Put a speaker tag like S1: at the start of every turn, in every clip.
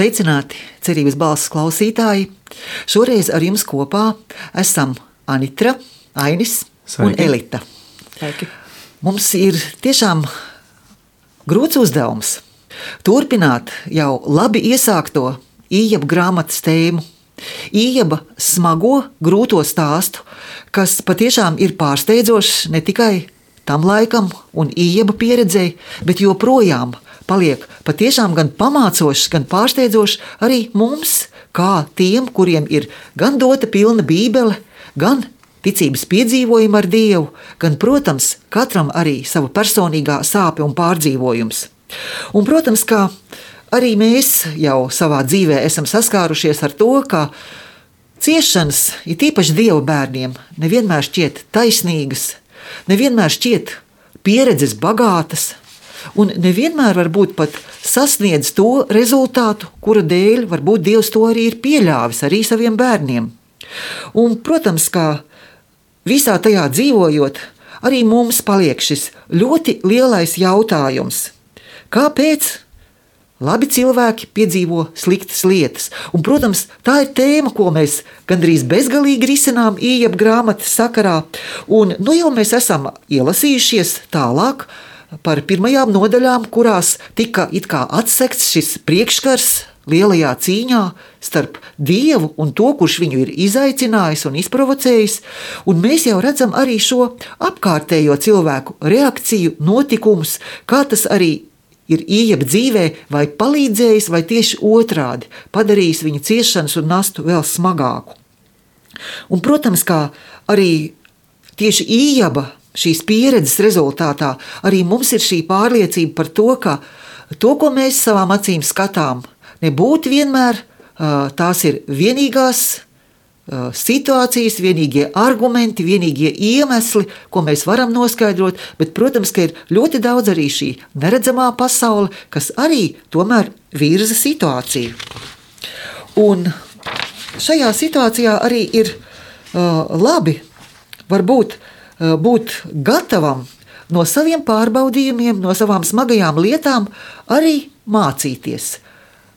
S1: Sveicināti, cerības balss klausītāji! Šoreiz ar jums kopā esam Anitra, Ainis un Elita.
S2: Sveiki.
S1: Mums ir tiešām grūts uzdevums turpināt jau labi iesākto Ījaba grāmatas tēmu. Ījaba smago, grūto stāstu, kas patiešām ir pārsteidzošs ne tikai tam laikam un Ījaba pieredzei, bet joprojām paliek patiešām gan pamācošs, gan pārsteidzošs arī mums, kā tiem, kuriem ir gan dota pilna bībele, gan ticības piedzīvojumi ar Dievu, gan, protams, katram arī sava personīgā sāpe un pārdzīvojums. Un, protams, kā arī mēs jau savā dzīvē esam saskārušies ar to, ka ciešanas, it īpaši Dieva bērniem, nevienmēr šķiet taisnīgas, nevienmēr šķiet pieredzes bagātas, un nevienmēr varbūt pat sasniedz to rezultātu, kura dēļ varbūt Dievs to arī ir pieļāvis arī saviem bērniem. Un, protams, kā visā tajā dzīvojot, arī mums paliek šis ļoti lielais jautājums. Kāpēc labi cilvēki piedzīvo sliktas lietas? Un, protams, tā ir tēma, ko mēs gandrīz bezgalīgi risinām Ījaba grāmatas sakarā. Un jau mēs esam ielasījušies tālāk par pirmajām nodaļām, kurās tika it kā atsekts šis priekškars lielajā cīņā starp Dievu un to, kurš viņu ir izaicinājis un izprovocējis, un mēs jau redzam arī šo apkārtējo cilvēku reakciju, notikumus, kā tas arī ir Ījaba dzīvē vai palīdzējis, vai tieši otrādi padarījis viņa ciešanas un nastu vēl smagāku. Un, protams, kā arī tieši Ījaba šīs pieredzes rezultātā arī mums ir šī pārliecība par to, ka to, ko mēs savām acīm skatām, nebūtu vienmēr tās ir vienīgās situācijas, vienīgie argumenti, vienīgie iemesli, ko mēs varam noskaidrot, bet, protams, ka ir ļoti daudz arī šī neredzamā pasaule, kas arī tomēr virza situāciju. Un šajā situācijā arī ir labi varbūt būt gatavam no saviem pārbaudījumiem, no savām smagajām lietām arī mācīties.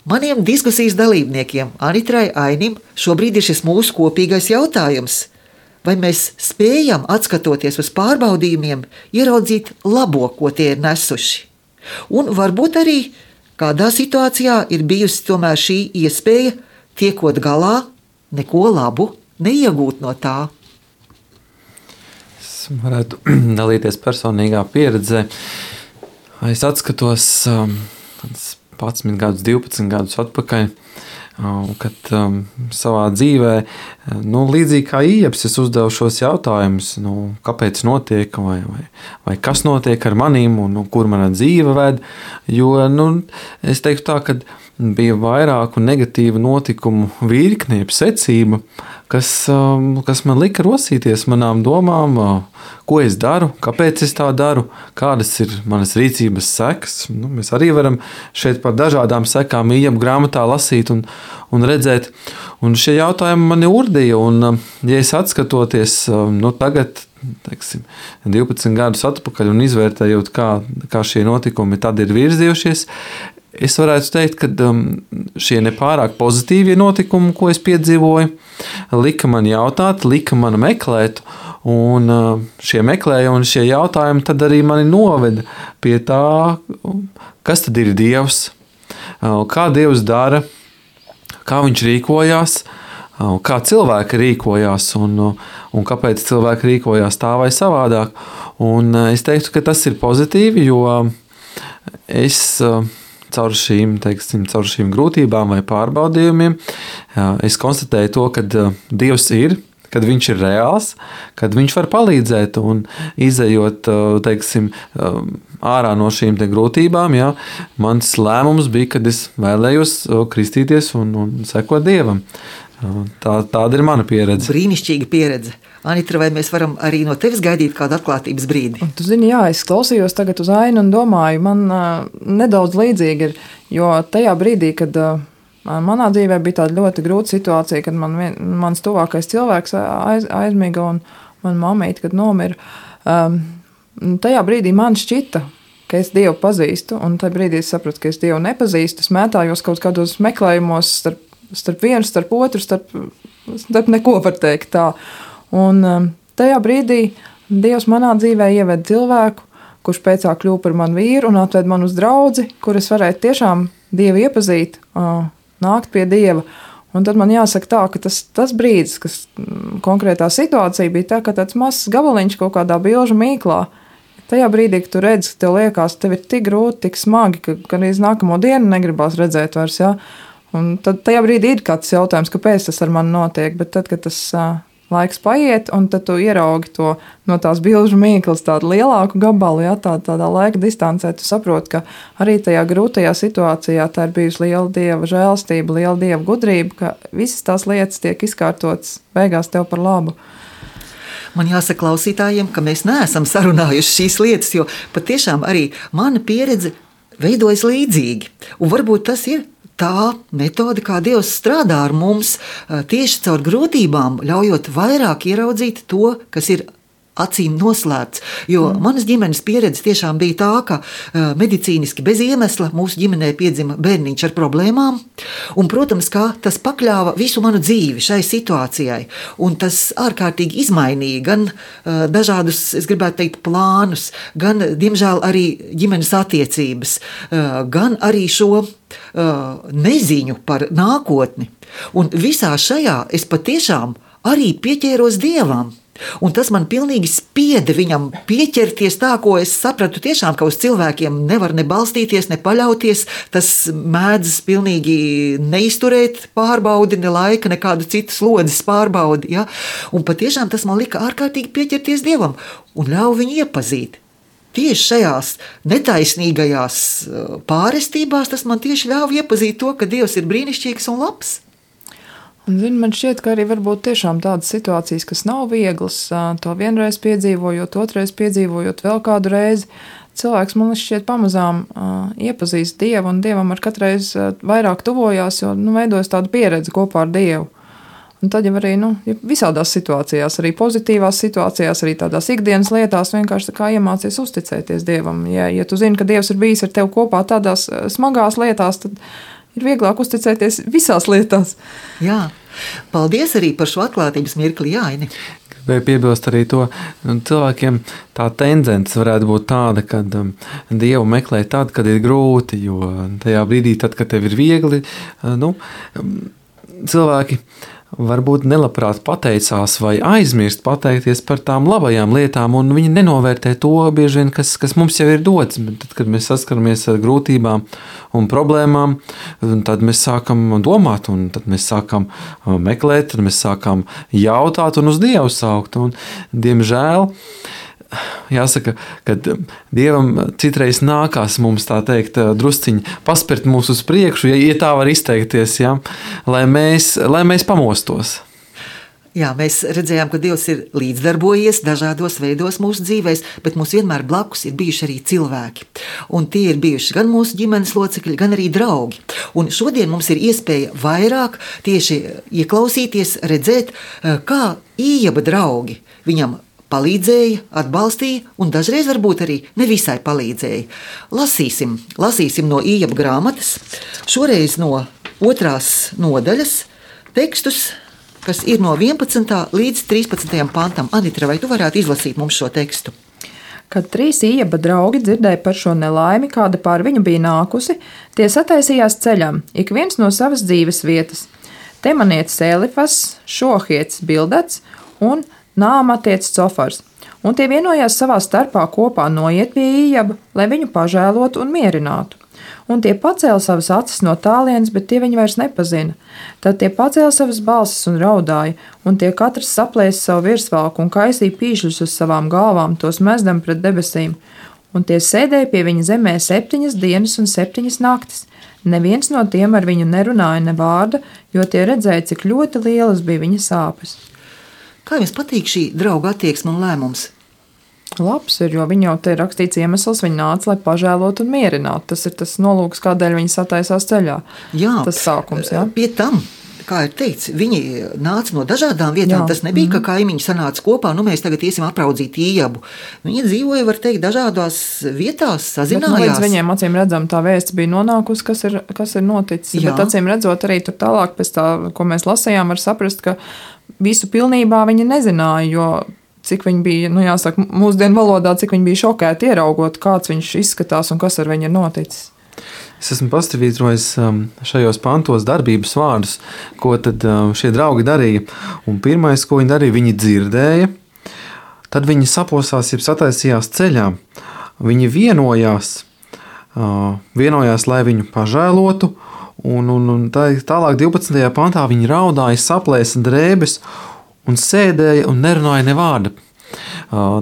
S1: Maniem diskusijas dalībniekiem, Anitrai, Ainim, šobrīd ir šis mūsu kopīgais jautājums. Vai mēs spējam, atskatoties uz pārbaudījumiem, ieraudzīt labo, ko tie ir nesuši? Un varbūt arī kādā situācijā ir bijusi tomēr šī iespēja, tiekot galā, neko labu neiegūt no tā.
S2: Varētu dalīties personīgā pieredzē. Es atskatos 11 gadus, 12 gadus atpakaļ, kad savā dzīvē, līdzīgi kā Ījabs, es uzdevu šos jautājumus, kāpēc notiek, vai kas notiek ar manīm, un kur mana dzīve ved, jo, es teiktu tā, ka bija vairāku negatīvu notikumu virkne, secība, kas man lika rosīties manām domām, ko es daru, kāpēc es tā daru, kādas ir manas rīcības sekas. Mēs arī varam šeit par dažādām sekām Ījaba grāmatā lasīt un redzēt. Un šie jautājumi mani urdīja, un ja es atskatoties tagad, 12 gadus atpakaļ un izvērtējot, kā šie notikumi tad ir virzījušies, es varētu teikt, ka šie nepārāk pozitīvie notikumi, ko es piedzīvoju, lika man jautāt, lika man meklēt, un šie meklējumi un šie jautājumi tad arī mani noveda pie tā, kas tad ir Dievs, kā Dievs dara, kā viņš rīkojās, kā cilvēki rīkojās un kāpēc cilvēki rīkojās tā vai savādāk. Un es teiktu, ka tas ir pozitīvi, jo es caur šīm grūtībām vai pārbaudījumiem, es konstatēju to, ka Dievs ir, kad viņš ir reāls, kad viņš var palīdzēt un izejot, ārā no šīm grūtībām, mans lēmums bija, kad es vēlējos kristīties un sekot Dievam. Tāda ir mana pieredze.
S1: Brīnišķīga pieredze. Anitra, vai mēs varam arī no tevis gaidīt kādu atklātības brīdi?
S3: Un tu zini, es klausījos tagad uz Ainu un domāju, man nedaudz līdzīgi ir, jo tajā brīdī, kad manā dzīvē bija tāda ļoti grūta situācija, kad mans tuvākais cilvēks aizmiga un man mamīte, kad nomira, tajā brīdī man šķita, ka es Dievu pazīstu, un tajā brīdī es sapratu, ka es Dievu nepazīstu. Es mētājos kaut kādos meklējumos starp vienu, starp otru, starp neko var teikt tā. Un tajā brīdī Dievs manā dzīvē ieved cilvēku, kurš pēcāk kļuva par manu vīru un atved man uz draudzi, kur es varētu tiešām Dievu iepazīt, nākt pie Dieva. Un tad man jāsaka tā, ka tas brīdis, kas konkrētā situācija bija tā, ka tāds mazs gabaliņš kaut kādā bilžu mīklā, tajā brīdī, kad tu redzi, ka tev liekas, tev ir tik grūti, tik smagi, ka arī nākamo dienu negribās redzēt vairs, ja? Un tad tajā brīdī ir kāds jautājums, kāpēc tas ar mani notiek, bet tad, kad tas laiks paiet, un tad tu ieraugi to no tās bilžu mīklas tādu lielāku gabalu, ja, tādā laika distancē, tu saproti, ka arī tajā grūtajā situācijā tā ir bijusi liela Dieva žēlastība, liela Dieva gudrība, ka visas tās lietas tiek izkārtotas beigās tev par labu.
S1: Man jāsaka klausītājiem, ka mēs neesam sarunājuši šīs lietas, jo patiešām arī mana pieredze veidojas līdzīgi. Un varbūt tas ir tā metode, kā Dievs strādā ar mums, tieši caur grūtībām, ļaujot vairāk ieraudzīt to, kas ir acīm noslēpts. Jo manas ģimenes pieredze tiešām bija tā, ka medicīniski bez iemesla mūsu ģimenē piedzima bērniņš ar problēmām. Un, protams, kā tas pakļāva visu manu dzīvi šai situācijai. Un tas ārkārtīgi izmainīja gan dažādus, es gribētu teikt, plānus, gan, diemžēl, arī ģimenes attiecības, gan arī šo neziņu par nākotni. Un visā šajā es patiešām arī pieķēros Dievam. Un tas man pilnīgi spieda viņam pieķerties tā, ko es sapratu tiešām, ka uz cilvēkiem nevar ne balstīties, ne paļauties. Tas mēdz pilnīgi neizturēt pārbaudi, ne laika, nekādu citu slodzes pārbaudi. Ja? Un patiešām tas man lika ārkārtīgi pieķerties Dievam un ļauj viņu iepazīt. Tieši šajās netaisnīgajās pārestībās tas man tieši ļauj iepazīt to, ka Dievs ir brīnišķīgs un labs.
S3: Un, man šķiet, ka arī varbūt tiešām tādas situācijas, kas nav vieglas, to vienreiz piedzīvojot, otrais piedzīvojot vēl kādu reizi, cilvēks man šķiet pamazām iepazīst Dievu, un Dievam ar katreiz vairāk tuvojās, jo veidojas tāda pieredze kopā ar Dievu. Un tad jau arī visādās situācijās, arī pozitīvās situācijās, arī tādās ikdienas lietās vienkārši tā kā iemācies uzticēties Dievam. Ja tu zini, ka Dievs ir bijis ar tevi kopā tādās smagās lietās, tad ir vieglāk uzticēties visās lietās.
S1: Jā, paldies arī par šo atklātības mirkli, Jāini.
S2: Gribēju piebilst arī to, cilvēkiem tā tendence varētu būt tāda, ka Dievu meklē tad, kad ir grūti, jo tajā brīdī, tad, kad tev ir viegli, cilvēki varbūt nelabprāt pateicās vai aizmirst pateikties par tām labajām lietām, un viņi nenovērtē to bieži vien, kas mums jau ir dots. Bet tad, kad mēs saskaramies ar grūtībām un problēmām, tad mēs sākam domāt, un tad mēs sākam meklēt, tad mēs sākam jautāt un uz Dievu saukt. Un, diemžēl, jāsaka, ka Dievam citreiz nākās mums tā teikt drusciņi paspert mūs uz priekšu, ja tā var izteikties, ja, lai mēs pamostos.
S1: Jā, mēs redzējām, ka Dievs ir līdzdarbojies dažādos veidos mūsu dzīvēs, bet mums vienmēr blakus ir bijuši arī cilvēki. Un tie ir bijuši gan mūsu ģimenes locekļi, gan arī draugi. Un šodien mums ir iespēja vairāk tieši ieklausīties, redzēt, kā Ījaba draugi viņam palīdzēja, atbalstīja un dažreiz varbūt arī nevisai palīdzēja. Lasīsim no Ījaba grāmatas, šoreiz no 2. nodaļas tekstus, kas ir no 11. līdz 13. pantam. Anitra, vai tu varētu izlasīt mums šo tekstu?
S3: Kad 3 Ījaba draugi dzirdēja par šo nelaimi, kāda pār viņu bija nākusi, tie sataisījās ceļam, ik viens no savas dzīves vietas. Temanietis Elifas, Šohiets Bildats un Nāmatietis Cofars, un tie vienojās savā starpā kopā noiet pie Ījaba, lai viņu pažēlotu un mierinātu. Un tie pacēla savas acis no tālienes, bet tie viņu vairs nepazina. Tad tie pacēla savas balsis un raudāja, un tie katrs saplēsa savu virsvalku un kaisīja pīšļus uz savām galvām, tos mezdam pret debesīm. Un tie sēdēja pie viņa zemē 7 dienas un 7 naktis. Neviens no tiem ar viņu nerunāja ne vārda, jo tie redzēja, cik ļoti lielas bija viņa sāpes.
S1: Kā jums patīk šī drauga attieksme un lēmums?
S3: Labs ir, jo viņa jau te ir rakstīts iemesls, viņa nāca, lai pažēlotu un mierinātu. Tas ir tas nolūks, kādēļ viņa sataisās ceļā.
S1: Jā,
S3: tas sākums, jā.
S1: Pie tam kā ir teikts, viņi nāca no dažādām vietām. Jā. Tas nebija, ka kaimiņi sanāca kopā, mēs tagad iesim apraudzīt Ījabu. Viņi dzīvoja, var teikt, dažādās vietās, sazinājās.
S3: Bet, līdz viņiem acīm redzam, tā vēsts bija nonākusi, kas ir noticis. Jā. Bet acīm redzot arī tur tālāk pēc tā, ko mēs lasījām, var saprast, ka visu pilnībā viņi nezināja, jo cik viņi bija, jāsaka, mūsdienu valodā, cik viņi bija šokēti ieraugot, kāds viņš izskatās un kas ar viņu ir noticis.
S2: Es esmu pastāvītrojis šajos pantos darbības vārdus, ko tad šie draugi darīja. Un pirmais, ko viņi darīja, viņi dzirdēja, tad viņi saposās, jeb sataisījās ceļā. Viņi vienojās, lai viņu pažēlotu, un tālāk 12. pantā viņi raudāja, saplēsa drēbes un sēdēja un nerunāja ne vārda.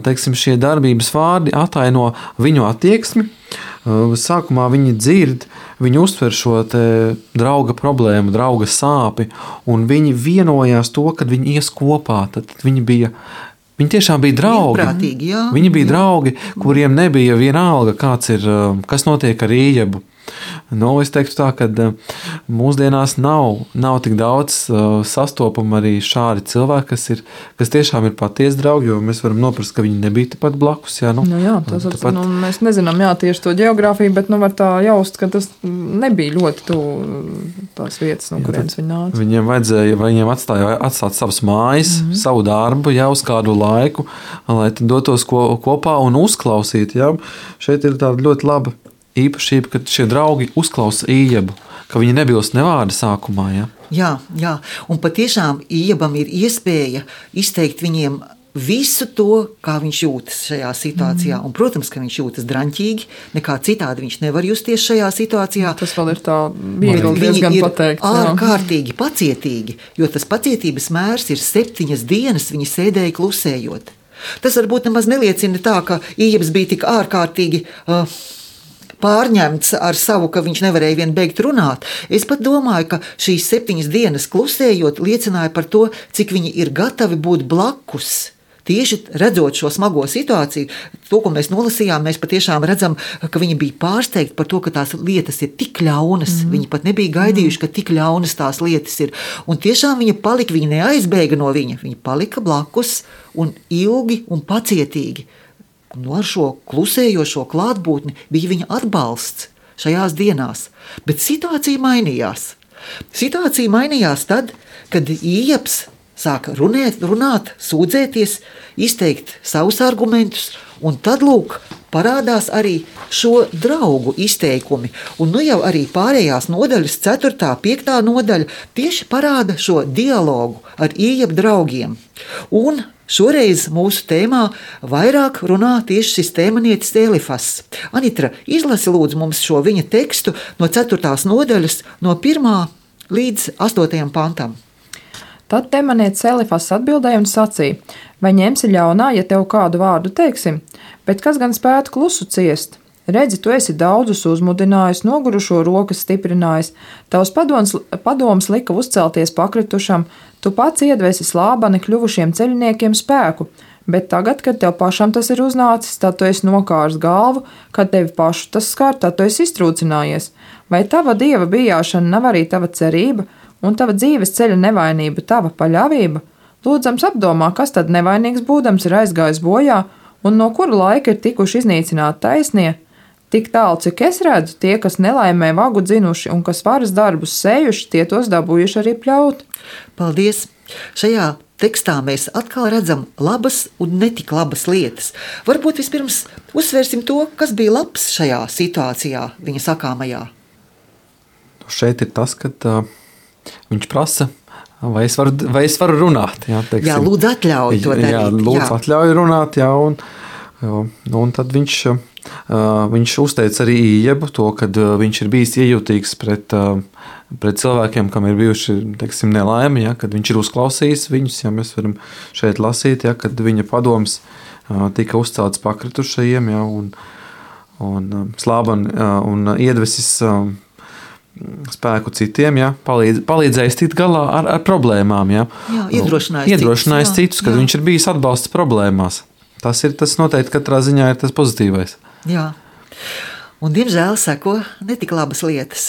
S2: Teiksim, šie darbības vārdi ataino viņu attieksmi. Sākumā viņi dzird, viņi uztver šo drauga problēmu, drauga sāpi, un viņi vienojās to, kad viņi ies kopā. Tad viņi tiešām bija draugi. Viņi bija draugi, kuriem nebija vienalga, kas notiek ar Ījabu. Es teiktu tā, ka mūsdienās nav tik daudz sastopamu arī šādi cilvēki, kas tiešām ir patiesi draugi, jo mēs varam noprast, ka viņi nebija tepat blakus. Jā,
S3: mēs nezinām tieši to geogrāfiju, bet var tā jaust, ka tas nebija ļoti tuvu tās vietas, no kurienes viņi nāca.
S2: Viņiem atstāt savas mājas, savu darbu jau uz kādu laiku, lai dotos kopā un uzklausīt. Jā. Šeit ir tāda ļoti laba īpašība, ka šie draugi uzklausa Ījabu, ka viņi nebilst ne vārda sākumā. Ja?
S1: Jā, un patiešām Ījabam ir iespēja izteikt viņiem visu to, kā viņš jūtas šajā situācijā. Un, protams, ka viņš jūtas draņķīgi, nekā citādi viņš nevar justies šajā situācijā.
S3: Tas vēl ir tā viegli diezgan pateikt.
S1: Viņi ir ārkārtīgi pacietīgi, jo tas pacietības mērs ir 7 dienas, viņi sēdēja klusējot. Tas varbūt nemaz neliecina tā, ka Ījabs bija tik ārkārtīgi pārņemts ar savu, ka viņš nevarēja vien beigt runāt. Es pat domāju, ka šīs 7 dienas klusējot liecināja par to, cik viņi ir gatavi būt blakus. Tieši redzot šo smago situāciju, to, ko mēs nolasījām, mēs patiešām redzam, ka viņi bija pārsteigti par to, ka tās lietas ir tik ļaunas. Viņi pat nebija gaidījuši, ka tik ļaunas tās lietas ir. Un tiešām viņi palika, viņi neaizbēga no viņa, viņi palika blakus un ilgi un pacietīgi. Ar šo klusējošo klātbūtni bija viņa atbalsts šajās dienās. Bet situācija mainījās. Situācija mainījās tad, kad Ījabs sāka runāt, sūdzēties, izteikt savus argumentus, un tad, parādās arī šo draugu izteikumi. Un jau arī pārējās nodaļas, 4., 5. nodaļa, tieši parāda šo dialogu ar Ījabu draugiem. Un šoreiz mūsu tēmā vairāk runā tieši šis tēmanietis Elifas. Anitra, izlasi lūdzu mums šo viņa tekstu no 4. nodaļas, no 1. līdz 8. pantam.
S3: Tad temanietis Elifas atbildēja un sacīja: vai ņemsi ļaunā, ja tev kādu vārdu teiksim, bet kas gan spētu klusu ciest? Redzi, tu esi daudzus uzmudinājis, nogurušo rokas stiprinājis, tavs padoms lika uzcelties pakritušam, tu pats iedvesi slābani kļuvušiem ceļniekiem spēku, bet tagad, kad tev pašam tas ir uznācis, tad tu esi nokārs galvu, kad tevi pašu tas skar, tad tu esi iztrūcinājies. Vai tava dieva bijāšana nav arī tava cerība, un tava dzīves ceļa nevainība tava paļāvība? Lūdzams apdomā, kas tad nevainīgs būdams ir aizgājis bojā, un no kura laika ir tikuši iznīcināti taisnie? Tik tālu, cik es redzu, tie, kas nelaimē vagu dzinuši un kas varas darbus sējuši, tie tos dabūjuši arī pļaut.
S1: Paldies! Šajā tekstā mēs atkal redzam labas un netik labas lietas. Varbūt vispirms uzsvērsim to, kas bija labs šajā situācijā, viņa sakāmajā.
S2: Šeit ir tas, ka viņš prasa, vai es varu runāt.
S1: Jā, lūdzu atļauj to darīt.
S2: Jā, lūdzu atļauj runāt, un tad viņš uzteica arī Ījabu to, ka viņš ir bijis iejūtīgs pret cilvēkiem, kam ir bijuši, nelaimi, kad viņš ir uzklausījis viņus. Mēs varam šeit lasīt, kad viņa padoms tika uzcelts pakritušajiem, un slābani un iedvesis spēku citiem, palīdzējis tikt galā ar problēmām. Iedrošinājis citus, kad viņš ir bijis atbalsts problēmās. Tas noteikti katrā ziņā ir tas pozitīvais.
S1: Jā, un diemžēl seko netik labas lietas.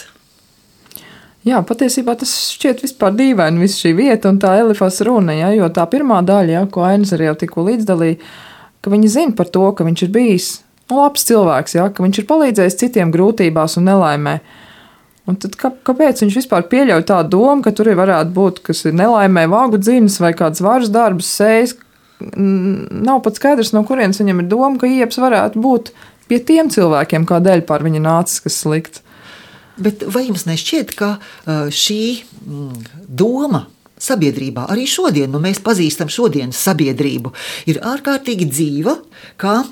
S3: Jā, patiesībā tas šķiet vispār dīvaini, viss šī vieta un tā Elifas runa, ja, jo tā pirmā daļa, ja, ko Ainis arī jau tikko līdzdalīja, ka viņi zina par to, ka viņš ir bijis labs cilvēks, ja, ka viņš ir palīdzējis citiem grūtībās un nelaimē. Un tad kāpēc viņš vispār pieļauj tādu domu, ka tur varētu būt, kas ir nelaimē vāgu dzinas vai kāds varas darbus sējis? Nav pat skaidrs, no kurienes viņam ir doma, ka Ieps varētu būt pie tiem cilvēkiem, kādēļ pār viņa nācis, kas slikts.
S1: Bet vai jums nešķiet, ka šī doma sabiedrībā, arī šodien, mēs pazīstam šodienas sabiedrību, ir ārkārtīgi dzīva, kā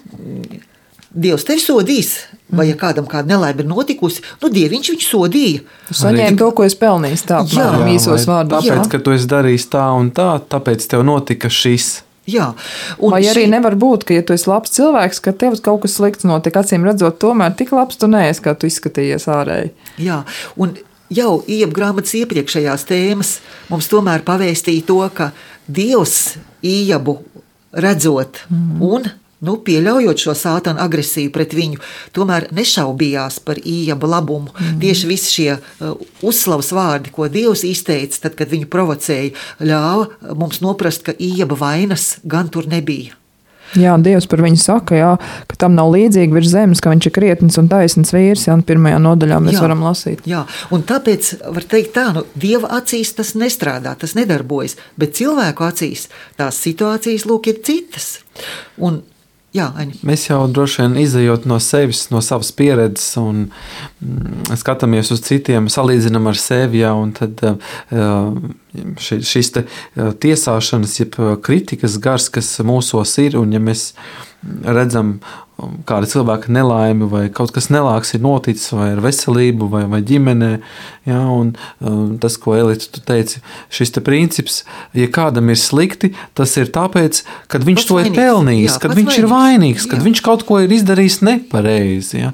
S1: Dievs tevi sodīs, vai ja kādam kāda nelaime ir notikusi, Dieviņš viņu sodīja.
S3: Tu saņēmi to, ko es pelnīju, tāpēc īsos vārdos.
S2: Tāpēc, ka tu esi darījis tā un tā, tāpēc tev notika šis.
S1: Jā.
S3: Vai arī nevar būt, ka, ja tu esi labs cilvēks, ka tev kaut kas slikts notiek, acīm redzot, tomēr tik labs tu neesi, kā tu izskatījies ārēji.
S1: Jā, un jau Iepa grāmatas iepriekšējās tēmas mums tomēr pavēstīja to, ka Dievs Iepu redzot un pieļaujot šo sātana agresiju pret viņu, tomēr nešaubījās par Iepa labumu. Tieši visi šie uzslavas vārdi, ko Dievs izteica, tad, kad viņu provocēja, ļāva mums noprast, ka Iepa vainas gan tur nebija.
S3: Jā, Dievs par viņu saka, jā, ka tam nav līdzīgi virs zemes, ka viņš ir krietns un taisns vīrs, jā, un pirmajā nodaļā mēs varam lasīt.
S1: Jā, un tāpēc var teikt tā, Dieva acīs tas nestrādā, tas nedarbojas, bet cilvēku acīs tās situācijas, ir citas. Un jā, Aņa.
S2: Mēs jau droši vien izejot no sevis, no savas pieredzes un skatāmies uz citiem, salīdzinām ar sevi, jā, un tad šis te tiesāšanas, jeb kritikas gars, kas mūsos ir, un ja mēs redzam kāda cilvēka nelaimi vai kaut kas nelāks ir noticis vai ar veselību vai ģimenē, jā, un tas, ko Elita tu teici, šis te princips, ja kādam ir slikti, tas ir tāpēc, kad viņš to ir pelnījis, kad viņš ir vainīgs, kad viņš kaut ko ir izdarījis nepareizi, jā.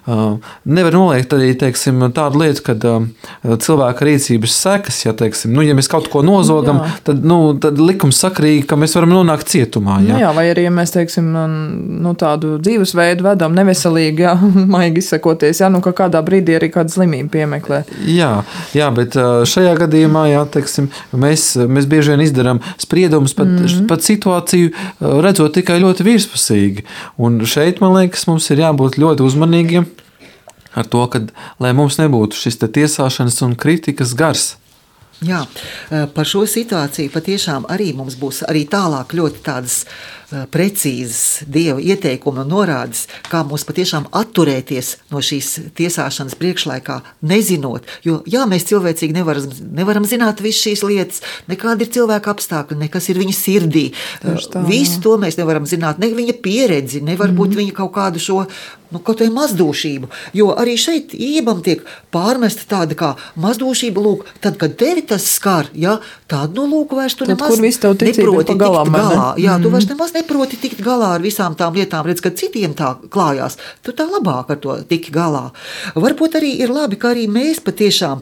S2: Nevar noliegt arī, teiksim, tādu lietu, kad cilvēka rīcības sekas, ja, teiksim, ja mēs kaut ko nozogam, tad likums sakrīgi, ka mēs varam nonākt cietumā, jā.
S3: Jā, vai arī, ja mēs, teiksim, tādu dzīvesveidu vedam neveselīgi, jā, maigi izsakoties, jā, ka kādā brīdī arī kāda slimība piemeklē.
S2: Jā, bet šajā gadījumā, jā, teiksim, mēs bieži vien izdarām spriedumus pat situāciju redzot tikai ļoti virspusīgi. Un šeit, man liekas, mums ir jābūt ļoti uzmanīgiem ar to, lai mums nebūtu šis tiesāšanas un kritikas gars.
S1: Jā, par šo situāciju patiešām arī mums būs arī tālāk ļoti tādas precīzas Dieva ieteikumi un norādes, kā mums patiešām atturēties no šīs tiesāšanas priekšlaikā, nezinot, jo jā, mēs cilvēcīgi nevaram zināt visas šīs lietas, nekādi ir cilvēka apstākļi, nekas ir viņa sirdī. Visu to mēs nevaram zināt, ne viņa pieredzi, nevar būt viņa kaut kādu šo kaut vai mazdūšību, jo arī šeit Iepam tiek pārmesta tāda kā mazdūšība, tad, kad tevi tas skar, jā, tādu vairs tu nemaz neproti tikt galā. Jā, tu vairs nemaz neproti tikt galā ar visām tām lietām, redz, kad citiem tā klājās, tu tā labāk ar to tiki galā. Varbūt arī ir labi, ka arī mēs patiešām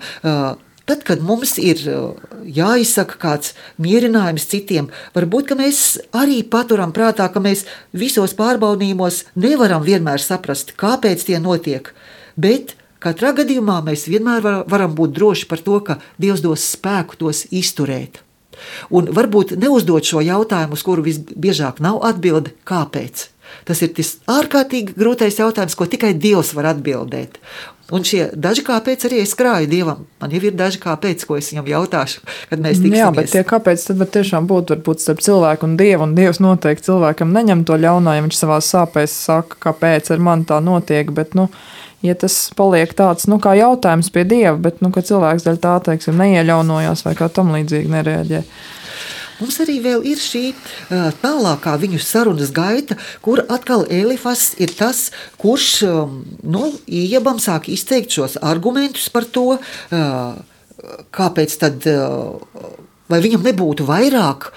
S1: tad, kad mums ir jāizsaka kāds mierinājums citiem, varbūt, ka mēs arī paturam prātā, ka mēs visos pārbaudījumos nevaram vienmēr saprast, kāpēc tie notiek, bet katrā gadījumā mēs vienmēr varam būt droši par to, ka Dievs dos spēku tos izturēt. Un varbūt neuzdot šo jautājumu, uz kuru visbiežāk nav atbilde, kāpēc. Tas ir tas ārkārtīgi grūtais jautājums, ko tikai Dievs var atbildēt. Un šie daži kāpēc arī es krāju Dievam. Man jau ir daži kāpēc, ko es viņam jautāšu, kad mēs tiksimies.
S3: Jā, bet tie kāpēc tad var tiešām būt varbūt starp cilvēku un Dievu, un Dievs noteikti cilvēkam neņem to ļaunā, ja viņš savās sāpēs saka, kāpēc ar mani tā notiek, bet, ja tas paliek tāds, kā jautājums pie Dieva, bet, ka cilvēks daļ tā, teiksim, neieļaunojās vai kā tam līdzīgi nereaģē.
S1: Mums arī vēl ir šī tālākā viņu sarunas gaita, kur atkal Elifas ir tas, kurš Iepam sāk izteikt šos argumentus par to, kāpēc tad, vai viņam nebūtu vairāk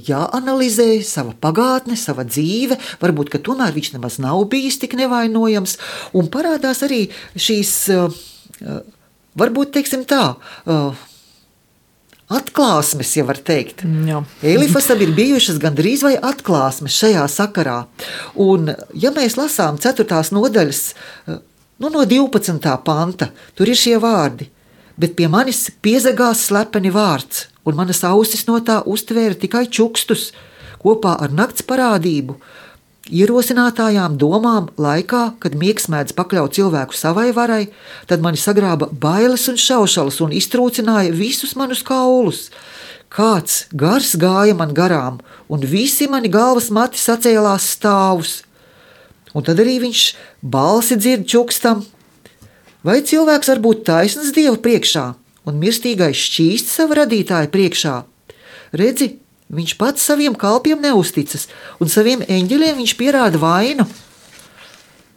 S1: jāanalizē sava pagātne, sava dzīve, varbūt, ka tomēr viņš nemaz nav bijis tik nevainojams, un parādās arī šīs, varbūt, teiksim tā, atklāsmes, ja var teikt.
S3: Jā.
S1: Elifasam ir bijušas gandrīz vai atklāsmes šajā sakarā. Un, ja mēs lasām 4. nodaļas, no 12. panta, tur ir šie vārdi. bet pie manis piezagās slepeni vārds, un manas ausis no tā uztvēra tikai čukstus, kopā ar nakts parādību, ierosinātājām domām laikā, kad miegs mēdz pakļaut cilvēku savai varai, tad mani sagrāba bailes un šaušalas un iztrūcināja visus manus kaulus. Kāds gars gāja man garām, un visi mani galvas mati sacēlās stāvus. Un tad arī viņš balsi dzird čukstam. Vai cilvēks var būt taisns Dieva priekšā un mirstīgais šķīst sava radītāja priekšā? Redzi, viņš pats saviem kalpiem neusticas, un saviem eņģeļiem viņš pierāda vainu.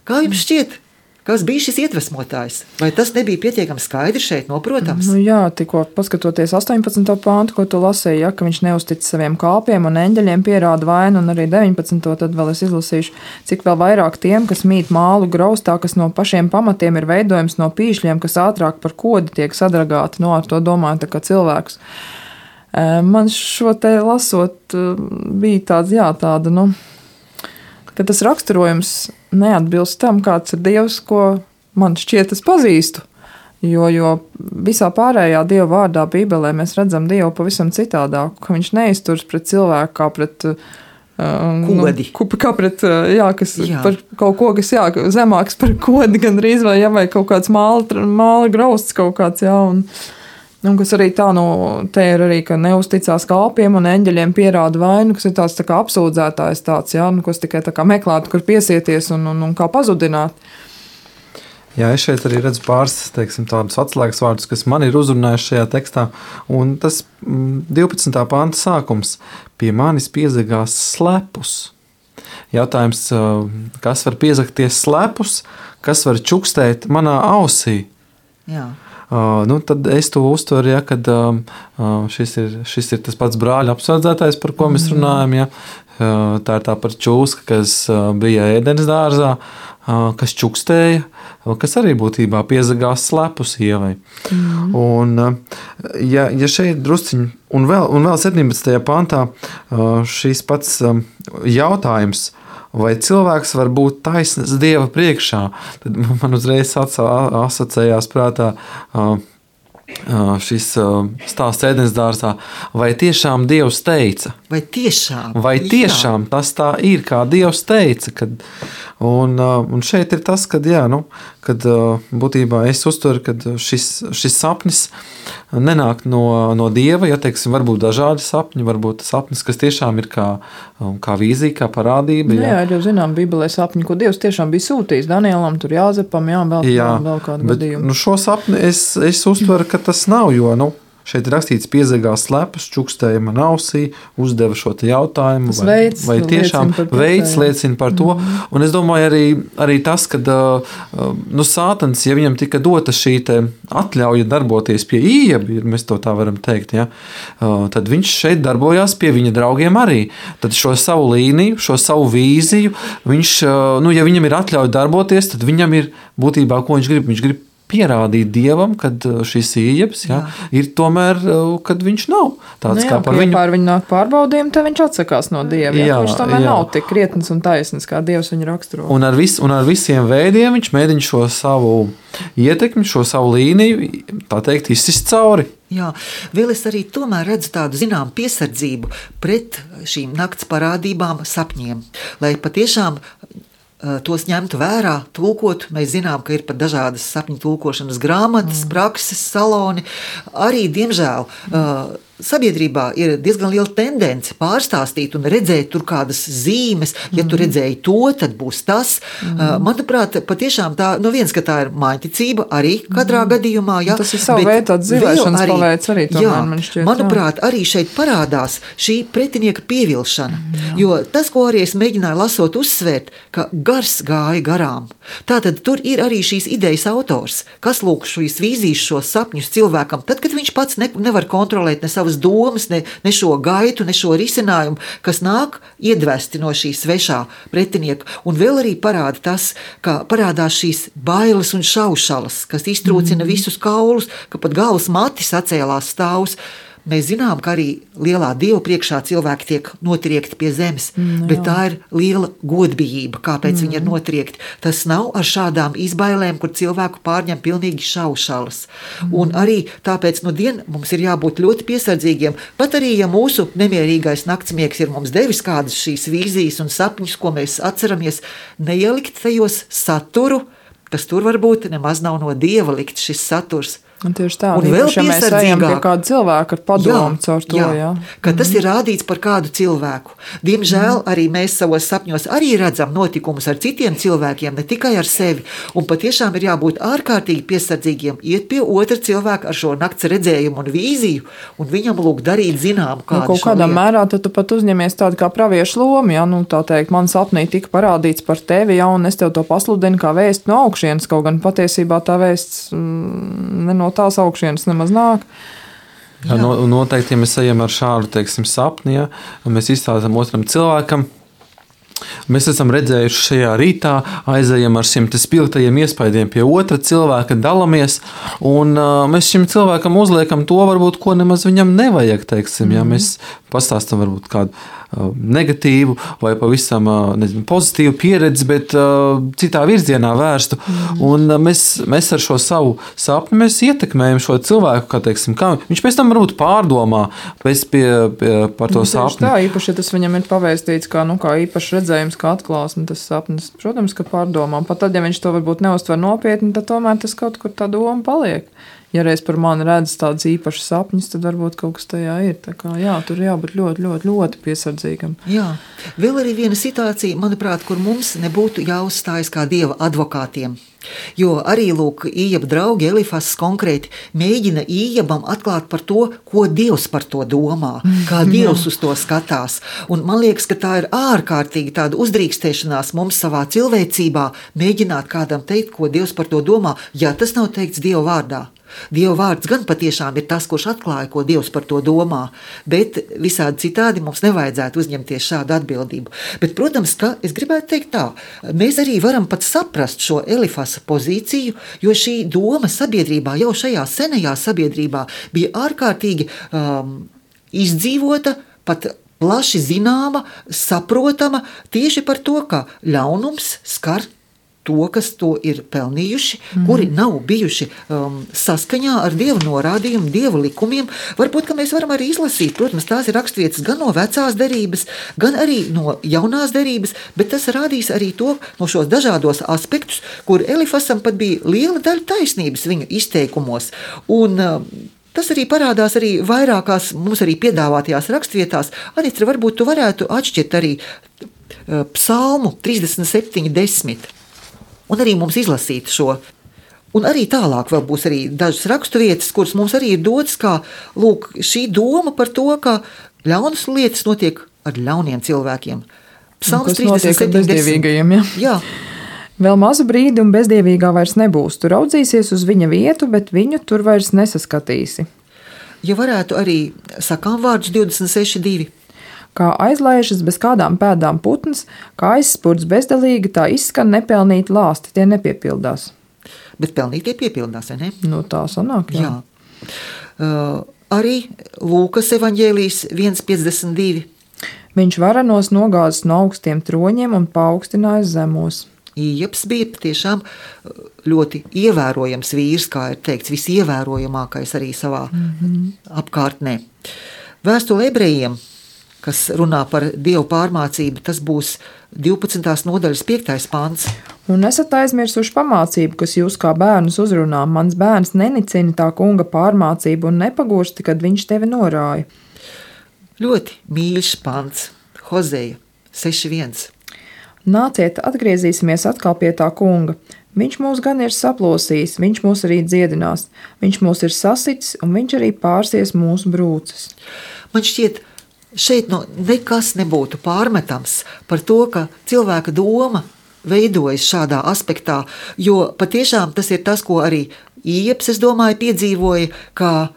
S1: Kā jums šķiet, kas bija šis iedvesmotājs? Vai tas nebija pietiekami skaidrs šeit noprotams?
S3: Nu jā, tikko paskatoties 18. pāntu, ko tu lasīji, ja, ka viņš neustic saviem kalpiem un eņģeļiem pierāda vainu, un arī 19. tad vēl es izlasīšu, cik vēl vairāk tiem, kas mīt mālu graustā, kas no pašiem pamatiem ir veidojums no pīšļiem, kas ātrāk par kodi tiek sadragāti, no ar to domāju tā kā cilvēks. Man šo te lasot bija tāds, jā, tāda, nu, ka tas raksturojums neatbilst tam, kāds ir Dievs, ko man šķiet es pazīstu. Jo visā pārējā Dieva vārdā Bībelē mēs redzam Dievu pavisam citādāk, ka viņš neizturas pret cilvēku kā pret
S1: kodi.
S3: Kā pret, jā, kas par kaut ko, kas, jā, zemāks par kodi gandrīz, vai kaut kāds māla grausts kaut kāds, jā, un kas arī tā, te ir arī, ka neusticās kalpiem un eņģeļiem pierāda vainu, kas ir tāds tā kā apsūdzētājs tāds, jā, kas tikai tā kā meklētu, kur piesieties un kā pazudināt.
S2: Jā, es šeit arī redzu pāris, teiksim, tādus atslēgas vārdus, kas man ir uzrunājuši šajā tekstā, un tas 12. panta sākums pie manis piezagās slepus. Jautājums, kas var piezagties slepus, kas var čukstēt manā ausī? Jā. Tad es to uztveru, ja, kad šis ir tas pats brāļa apsvērdzētais, par ko mēs runājam. Ja. Tā ir tā par čūska, kas bija ēdenes dārzā, kas čukstēja, kas arī būtībā piezagās slepus Ievai. Un, ja šeit drusciņi, un vēl 17. pantā šīs pats jautājums, vai cilvēks var būt taisns Dieva priekšā, tad man uzreiz asociējās prātā šis stāsts ēdenes dārzā, vai tiešām Dievs teica? Vai tiešām tas tā ir, kā Dievs teica? Un šeit ir tas, kad būtībā es uztveru, ka šis sapnis nenāk no Dieva, ja teiksim, varbūt dažādi sapņi, varbūt sapnis, kas tiešām ir kā vīzija, kā parādība.
S3: Jā, jau zinām, Bībelē sapņi, ko Dievs tiešām bija sūtījis Danielam, tur Jāzepam, vēl kādu gadījumu.
S2: Šo sapni es uztveru, ka tas nav, jo, šeit ir rakstīts piezagās slepus, čukstēja man ausī, uzdeva šo te jautājumu, vai tiešām veids liecina par to. Un es domāju arī tas, ka Sātans, ja viņam tika dota šī te atļauja darboties pie Ījeba, mēs to tā varam teikt, ja, tad viņš šeit darbojās pie viņa draugiem arī. Tad šo savu līniju, šo savu vīziju, viņš, ja viņam ir atļauja darboties, tad viņam ir būtībā, ko viņš grib pierādīt Dievam, kad šis Ījebs ir tomēr, kad viņš nav tāds kā par viņu.
S3: Pār viņu nāk pārbaudījumi, tad viņš atsakās no Dieva. Viņš tomēr nav tik krietns un taisns, kā Dievs viņu raksturo.
S2: Un ar visiem veidiem viņš mēģina šo savu ietekmi, šo savu līniju, tā teikt, izsist cauri.
S1: Jā, vēl es arī tomēr redzu tādu zinām piesardzību pret šīm nakts parādībām, sapņiem, lai patiešām tos ņemtu vērā, tulkotu. Mēs zinām, ka ir pat dažādas sapņu tulkošanas grāmatas, prakses, saloni. Arī, diemžēl, sabiedrībā ir diezgan liela tendence pārstāstīt un redzēt tur kādas zīmes. Ja tu redzēji to, tad būs tas. Manuprāt, patiešām tā, viens, ka tā ir māņticība arī katrā gadījumā. Ja,
S3: tas ir savu veidu tāds dzīvēšanas paveids arī tomēr, man šķiet.
S1: Manuprāt, arī šeit parādās šī pretinieka pievilšana. Jo tas, ko arī es mēģināju lasot uzsvērt, ka gars gāja garām. Tātad tur ir arī šīs idejas autors, kas lūk šīs vīzijas, šos sapņus cilvēkam, tad, kad viņš pats nevar kontrolēt ne savas domas, ne šo gaitu, ne šo risinājumu, kas nāk iedvesti no šī svešā pretinieka. Un vēl arī parāda tas, ka parādās šīs bailes un šaušalas, kas iztrūcina visus kaulus, ka pat galvas mati sacēlās stāvus. mēs zinām, ka arī lielā Dieva priekšā cilvēki tiek notriekti pie zemes, bet tā ir liela godbijība, kāpēc viņi ir notriekti. Tas nav ar šādām izbailēm, kur cilvēku pārņem pilnīgi šaušalas. Un arī tāpēc mums ir jābūt ļoti piesardzīgiem, pat arī, ja mūsu nemierīgais naktsmiegs ir mums devis kādas šīs vīzijas un sapņus, ko mēs atceramies, neielikt tajos saturu, kas tur varbūt nemaz nav no Dieva likt šis saturs.
S3: Un tieši tā,
S1: un vēl
S3: ja mēs ejam pie kāda cilvēka ar padomu caur to.
S1: Ka tas ir rādīts par kādu cilvēku. Diemžēl arī mēs savos sapņos arī redzam notikumus ar citiem cilvēkiem, ne tikai ar sevi. Un patiešām ir jābūt ārkārtīgi piesardzīgiem, iet pie otra cilvēka ar šo nakts redzējumu un vīziju, un viņam lūk darīt zinām kādu
S3: kaut kādā mērā tad tu pat uzņemies tādu kā praviešu lomu, tā teikt, man sapnī tika parādīts par tevi, un es tev to pasludinu kā vēstu no augšienes, kaut gan patiesībā tā vēsts no tās augšienes nemaz nāk.
S2: Jā, noteikti, ja mēs ejam ar šādu, teiksim, sapni, un mēs izstāstam otram cilvēkam, mēs esam redzējuši šajā rītā, aizejam ar šiem spilgtajiem iespaidiem pie otra cilvēka, dalamies, un mēs šim cilvēkam uzliekam to, varbūt, ko nemaz viņam nevajag, teiksim, mēs pastāstam varbūt kādu negatīvu vai pavisam pozitīvu pieredzi, bet citā virzienā vērstu. Un mēs ar šo savu sapni mēs ietekmējam šo cilvēku, kā teiksim, kā viņš pēc tam varbūt pārdomā par to sapni.
S3: Tā, īpaši, ja tas viņam ir pavēstīts kā īpašs redzējums, kā atklāsme, tas sapnis, protams, ka pārdomā. Pat tad, ja viņš to varbūt neuztver nopietni, tad tomēr tas kaut kur tā doma paliek. Ja reiz par mani redz tādas īpašas sapņas, tad varbūt kaut kas tajā ir. Tā kā, tur jābūt ļoti, ļoti, ļoti piesardzīgam.
S1: Jā, vēl arī viena situācija, manuprāt, kur mums nebūtu jāuzstājas kā Dieva advokātiem. Jo arī, lūk, Ījaba draugi Elifas konkrēti mēģina Ījabam atklāt par to, ko Dievs par to domā, kā Dievs uz to skatās. Un man liekas, ka tā ir ārkārtīgi tāda uzdrīkstēšanās mums savā cilvēcībā mēģināt kādam teikt, ko Dievs par to domā, ja tas nav teikts Dieva vārdā. Dieva vārds gan patiešām ir tas, kurš atklāja, ko Dievs par to domā, bet visādi citādi mums nevajadzētu uzņemties šādu atbildību. Bet, protams, ka es gribētu teikt tā, mēs arī varam pat saprast šo Elifasa pozīciju, jo šī doma sabiedrībā, jau šajā senajā sabiedrībā bija ārkārtīgi izdzīvota, pat plaši zināma, saprotama tieši par to, ka ļaunums skar to, kas to ir pelnījuši, kuri nav bijuši saskaņā ar Dieva norādījumu, Dieva likumiem. Varbūt, ka mēs varam arī izlasīt, protams, tās ir raksturvietas gan no vecās derības, gan arī no jaunās derības, bet tas rādīs arī to no šos dažādos aspektus, kur Elifasam pat bija liela daļa taisnības viņu izteikumos. Un tas arī parādās arī vairākās mums arī piedāvātajās rakstvietās. Anitra, varbūt tu varētu atšķirt arī psalmu 37:10. Un arī mums izlasīt šo. Un arī tālāk vēl būs arī dažas raksturvietas, kuras mums arī ir dotas, kā lūk, šī doma par to, ka ļaunas lietas notiek ar ļauniem cilvēkiem. Psalms 37:10. Jā.
S3: Vēl mazu brīdi un bezdievīgā vairs nebūs. Tu raudzīsies uz viņa vietu, bet viņu tur vairs nesaskatīsi.
S1: Ja varētu arī sakām vārdus 26:2.
S3: Kā aizlaižas bez kādām pēdām putns, kā aizspurts bezdalīgi, tā izskan nepelnīti lāsti, tie nepiepildās.
S1: Bet pelnītie piepildās, vai ne?
S3: Tā sanāk, jā.
S1: Arī Lūkas evaņģēlijs 1:52.
S3: Viņš varenos nogāzis no augstiem troņiem un paaugstinājis zemos.
S1: Ījabs bija tiešām ļoti ievērojams vīrs, kā ir teikts, visievērojamākais arī savā apkārtnē. Vēstule ebrejiem, kas runā par Dievu pārmācību, tas būs 12. nodaļas 5. pants.
S3: Un esat aizmirsuši pamācību, kas jūs kā bērnus uzrunā. Mans bērns nenicina tā kunga pārmācību un nepagursti, kad viņš tevi norāja.
S1: Ļoti mīļš pants, Hozeja 6:1.
S3: Nāciet, atgriezīsimies atkal pie tā kunga. Viņš mūs gan ir saplosījis, viņš mūs arī dziedinās. Viņš mūs ir sasitis un viņš arī pārsies mūsu brūces.
S1: Man šķiet, šeit nekas nebūtu pārmetams par to, ka cilvēka doma veidojas šādā aspektā, jo patiešām tas ir tas, ko arī Ījabs, es domāju, piedzīvoja, ka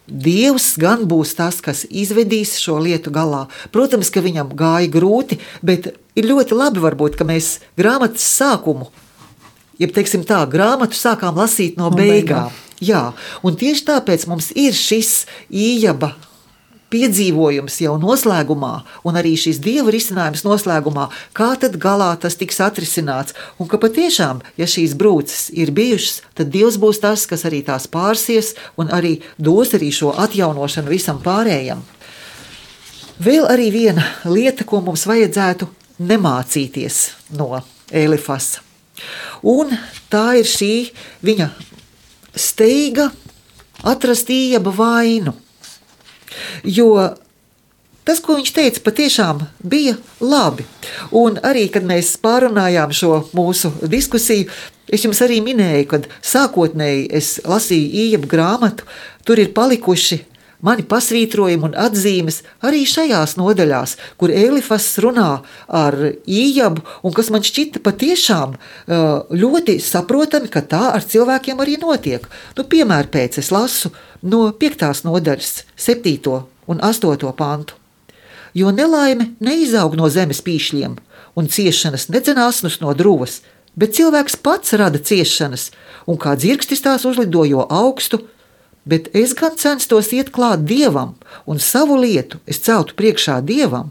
S1: Dievs gan būs tas, kas izvedīs šo lietu galā. Protams, ka viņam gāja grūti, bet ir ļoti labi varbūt, ka mēs grāmatas sākumu, jeb teiksim tā, grāmatu sākām lasīt no beigām. Jā, un tieši tāpēc mums ir šis Ījaba piedzīvojums jau noslēgumā, un arī šis Dieva risinājums noslēgumā, kā tad galā tas tiks atrisināts, un ka patiešām, ja šīs brūces ir bijušas, tad Dievs būs tas, kas arī tās pārsies, un arī dos arī šo atjaunošanu visam pārējam. Vēl arī viena lieta, ko mums vajadzētu nemācīties no Elifasa, un tā ir šī viņa steiga atrast Ījaba vainu. Jo tas, ko viņš teica, patiešām bija labi. Un arī, kad mēs pārunājām šo mūsu diskusiju, es jums arī minēju, kad sākotnēji es lasīju Ījaba grāmatu, tur ir palikuši mani pasvītrojumi un atzīmes arī šajās nodaļās, kur Elifas runā ar Ījabu, un kas man šķita patiešām ļoti saprotami, ka tā ar cilvēkiem arī notiek. Piemēram, pēc es lasu no 5. nodaļas 7. un 8. pantu. Jo nelaime neizaug no zemes pīšļiem, un ciešanas nedzen asnus no druvas, bet cilvēks pats rada ciešanas, un kā dzirkstis tās uzlidojo augstu, bet es gan censtos iet klāt Dievam, un savu lietu es celtu priekšā Dievam,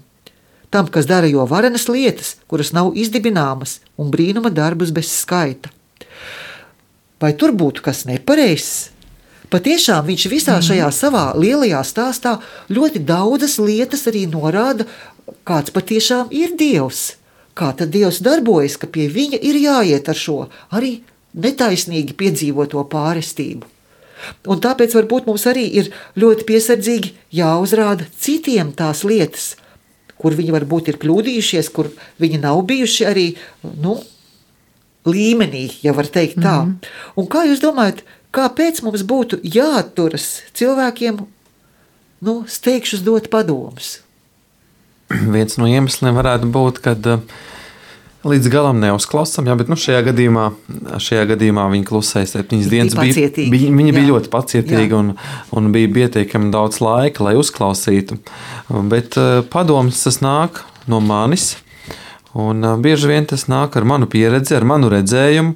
S1: tam, kas dara jo varenas lietas, kuras nav izdibināmas, un brīnuma darbus bez skaita. Vai tur būtu kas nepareizs? Patiešām viņš visā šajā savā lielajā stāstā ļoti daudzas lietas arī norāda, kāds patiešām ir Dievs. Kā tad Dievs darbojas, ka pie viņa ir jāiet ar šo arī netaisnīgi piedzīvoto pārestību. Un tāpēc varbūt mums arī ir ļoti piesardzīgi jāuzrāda citiem tās lietas, kur viņi varbūt ir kļūdījušies, kur viņi nav bijuši arī, līmenī, ja var teikt tā. Un kā jūs domājat, kāpēc mums būtu jāatturas cilvēkiem, steigšus dot padomus?
S2: Viens no iemesliem varētu būt, kad līdz galam neuzklausām, bet šajā gadījumā viņi klusēja 7 dienas. Viņi bija ļoti pacietīgi un bija pietiekami daudz laika, lai uzklausītu. Bet padoms tas nāk no manis, un bieži vien tas nāk ar manu pieredzi, ar manu redzējumu,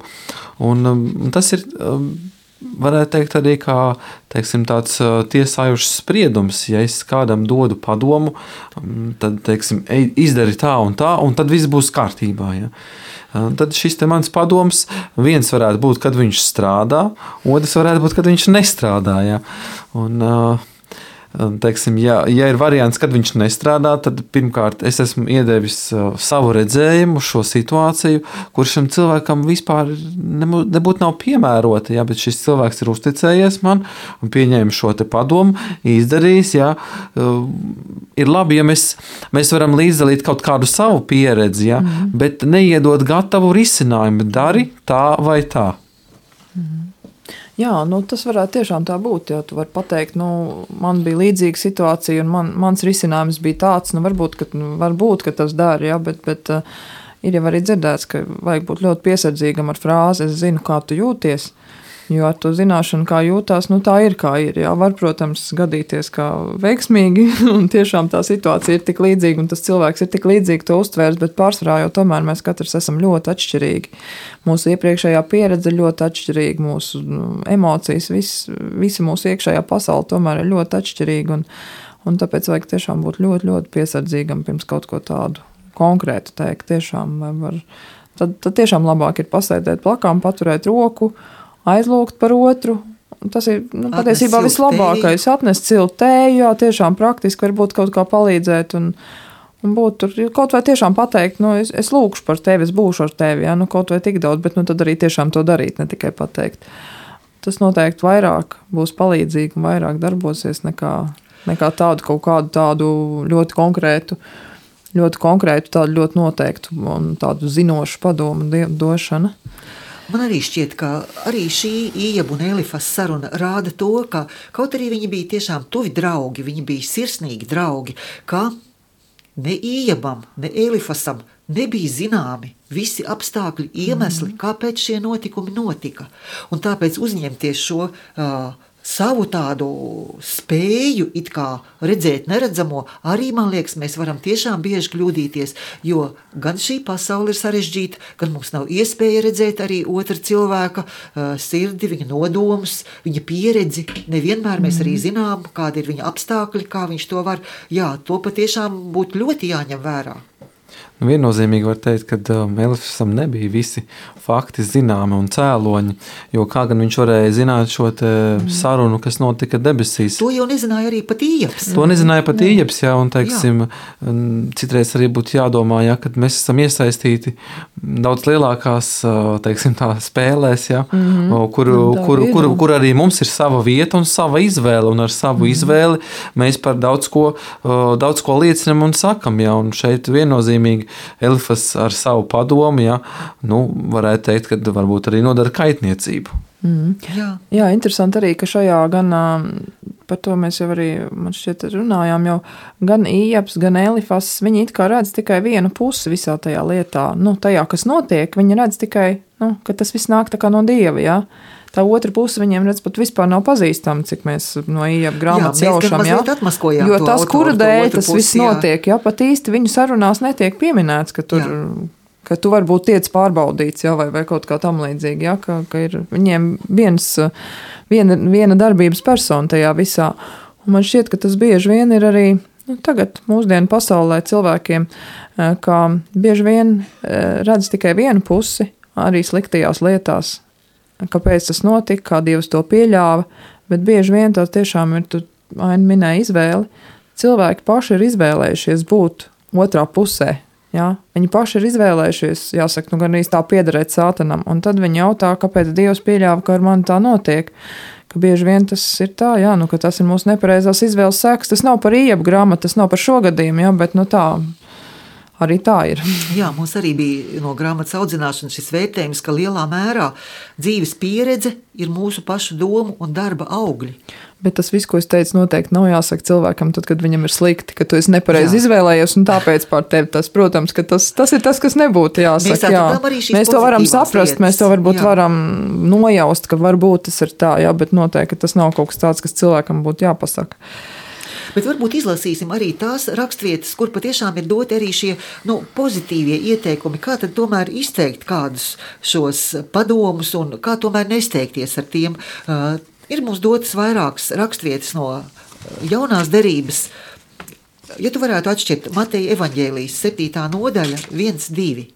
S2: un tas ir, varētu teikt, arī kā tāds tiesājušs spriedums. Ja es kādam dodu padomu, tad izdari tā, un tad viss būs kārtībā. Ja? Tad šis te mans padoms, viens varētu būt, kad viņš strādā, otrs varētu būt, kad viņš nestrādā. Ja? Un, ja ir variants, kad viņš nestrādā, tad pirmkārt es esmu iedevis savu redzējumu, šo situāciju, kur šim cilvēkam vispār nebūtu nav piemērota, ja, bet šis cilvēks ir uzticējies man un pieņēma šo te padomu, izdarījis, ja, ir labi, ja mēs varam līdzdalīt kaut kādu savu pieredzi, ja, bet neiedot gatavu risinājumu, dari tā vai tā.
S3: Jā, tas varētu tiešām tā būt, jo tu vari pateikt, man bija līdzīga situācija un mans risinājums bija tāds, varbūt, ka tas dara, ja, bet ir jau arī dzirdēts, ka vajag būt ļoti piesardzīgam ar frāzi, es zinu, kā tu jūties, jo ar to zināšanu, kā jūtās, tā ir, kā ir, jā, var, protams, gadīties kā veiksmīgi, un tiešām tā situācija ir tik līdzīga, un tas cilvēks ir tik līdzīgi to uztvērs, bet pārsvarā jau tomēr mēs katrs esam ļoti atšķirīgi. Mūsu iepriekšējā pieredze ļoti atšķirīga, mūsu emocijas, visa mūsu iekšējā pasaule tomēr ir ļoti atšķirīga, un tāpēc vajag tiešām būt ļoti, ļoti piesardzīgam pirms kaut ko tādu konkrētu teikt. Tiešām tad tiešām labāk ir pasēdēt plakām, paturēt roku, aizlūgt par otru. Tas ir patiesībā vislabākais. Atnest siltu tēju, jā, tiešām praktiski varbūt kaut kā palīdzēt un būt tur, kaut vai tiešām pateikt, es lūkšu par tevi, es būšu ar tevi, jā, kaut vai tik daudz, bet tad arī tiešām to darīt, ne tikai pateikt. Tas noteikti vairāk būs palīdzīgi un vairāk darbosies nekā tādu kaut kādu tādu ļoti konkrētu, tādu ļoti noteiktu un tādu zinošu padomu došana.
S1: Man arī šķiet, ka arī šī Ījaba un Elifas saruna rāda to, ka kaut arī viņi bija tiešām tuvi draugi, viņi bija sirsnīgi draugi, ka ne Ījabam, ne Elifasam nebija zināmi visi apstākļi, iemesli, kāpēc šie notikumi notika. Un tāpēc uzņemties šo savu tādu spēju it kā redzēt neredzamo, arī, man liekas, mēs varam tiešām bieži kļūdīties, jo gan šī pasaule ir sarežģīta, gan mums nav iespēja redzēt arī otra cilvēka sirdi, viņa nodomus, viņa pieredzi. Nevienmēr mēs arī zinām, kādi ir viņa apstākļi, kā viņš to var. Jā, to patiešām būtu ļoti jāņem vērā.
S2: Viennozīmīgi var teikt, ka Elifasam nebija visi fakti zināmi un cēloņi, jo kā gan viņš varēja zināt šo sarunu, kas notika debesīs.
S1: To jau nezināja arī pat Ījabs.
S2: To nezināja pat Ījabs, jā, un teiksim, citreiz arī būtu jādomā, ja, kad mēs esam iesaistīti daudz lielākās, teiksim, tā spēlēs, ja, kur arī mums ir sava vieta un sava izvēle, un ar savu izvēli mēs par daudz ko liecinam un sakam, ja, un šeit viennozīmīgi Elifas ar savu padomu, ja, varētu teikt, ka varbūt arī nodara kaitniecību.
S3: Jā, interesanti arī, ka šajā gan, par to mēs jau arī, man šķiet, runājām, jau gan Ījabs, gan Elifas, viņi it kā redz tikai vienu pusi visā tajā lietā. Tajā, kas notiek, viņi redz tikai, ka tas viss nāk tā kā no Dieva, jā. Tā otra puse viņiem redz pat vispār nav pazīstama, cik mēs no Ījaba grāmatas jaušam, jā. Jo tas, kura dēļ tas viss notiek, jā, pat īsti viņu sarunās netiek pieminēts, ka tur, ka tu varbūt tiec pārbaudīts, jā, vai kaut kā tam līdzīgi, jā, ka ir viņiem viena darbības persona tajā visā. Un man šķiet, ka tas bieži vien ir arī, tagad mūsdienu pasaulē cilvēkiem, kā bieži vien redz tikai vienu pusi, arī sliktajās lietās. Kāpēc tas notika, kā Dievs to pieļāva, bet bieži vien tā tiešām ir, tu Aina minēja izvēli. Cilvēki paši ir izvēlējušies būt otrā pusē, jā. Viņi paši ir izvēlējušies, jāsaka, gan arī tā piederēt Sātanam, un tad viņi jautā, kāpēc Dievs pieļāva, ka ar mani tā notiek, ka bieži vien tas ir tā, jā, ka tas ir mūsu nepareizās izvēles sekas, tas nav par Ījaba grāmatu, tas nav par šo gadījumu, jā, bet tā. Arī tā ir.
S1: Jā, mums arī bija no grāmatas audzināšanas šis vērtējums, ka lielā mērā dzīves pieredze ir mūsu pašu domu un darba augļi.
S3: Bet tas viss, ko es teicu, noteikti nav jāsaka cilvēkam, tad, kad viņam ir slikti, ka tu esi nepareizi izvēlējies, un tāpēc pār tevi tas, protams, ka tas ir tas, kas nebūtu jāsaka. Mēs to varam saprast, lietas. Mēs to varbūt varam nojaust, ka varbūt tas ir tā, jā, bet noteikti tas nav kaut kas tāds, kas cilvēkam būtu jāpasaka.
S1: Bet varbūt izlasīsim arī tās rakstvietas, kur patiešām ir doti arī šie pozitīvie ieteikumi, kā tad tomēr izteikt kādus šos padomus un kā tomēr nesteigties ar tiem. Ir mums dotas vairākas rakstvietas no jaunās derības. Ja tu varētu atšķirt Mateja evaņģēlijas 7. nodaļa 1-2.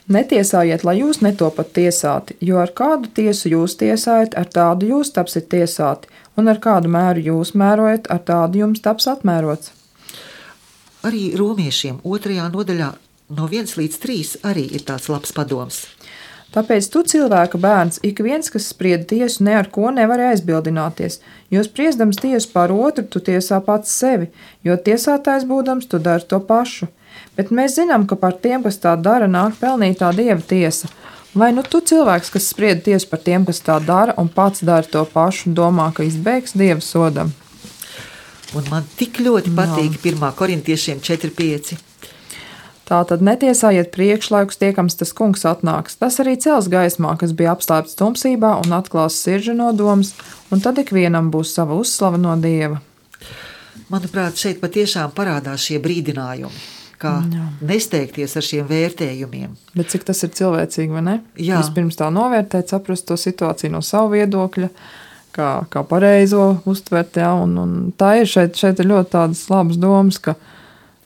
S3: Netiesājiet, lai jūs netopat tiesāti, jo ar kādu tiesu jūs tiesājat, ar tādu jūs tapsiet tiesāti, un ar kādu mēru jūs mērojat, ar tādu jums taps atmērots.
S1: Arī romiešiem 2. nodaļā no 1-3 arī ir tāds labs padoms.
S3: Tāpēc tu, cilvēka bērns, ik viens, kas spried tiesu, ne ar ko nevar aizbildināties, jo spriedams tiesu pār otru, tu tiesā pats sevi, jo tiesātājs būdams, tu dari to pašu. Bet mēs zinām, ka par tiem, kas tā dara, nāk pelnītā Dieva tiesa. Vai tu cilvēks, kas spried tiesu par tiem, kas tā dara, un pats dara to pašu, domā, ka izbēgs Dieva sodam?
S1: Un man tik ļoti patīk 1. korintiešiem 4:5.
S3: Tā tad netiesājiet priekšlaikus tiekams tas kungs atnāks. Tas arī cels gaismā, kas bija apslēpts tumsībā un atklās sirdžu nodomus, un tad ikvienam būs sava uzslava no Dieva.
S1: Manuprāt, šeit patiešām parādās šie brīdinājumi, kā nesteigties ar šiem vērtējumiem.
S3: Bet cik tas ir cilvēcīgi, vai ne?
S1: Jā.
S3: Vispirms tā novērtēt, saprast to situāciju no savu viedokļa, kā pareizo uztvert, jā, un tā ir šeit ir ļoti tādas labas domas, ka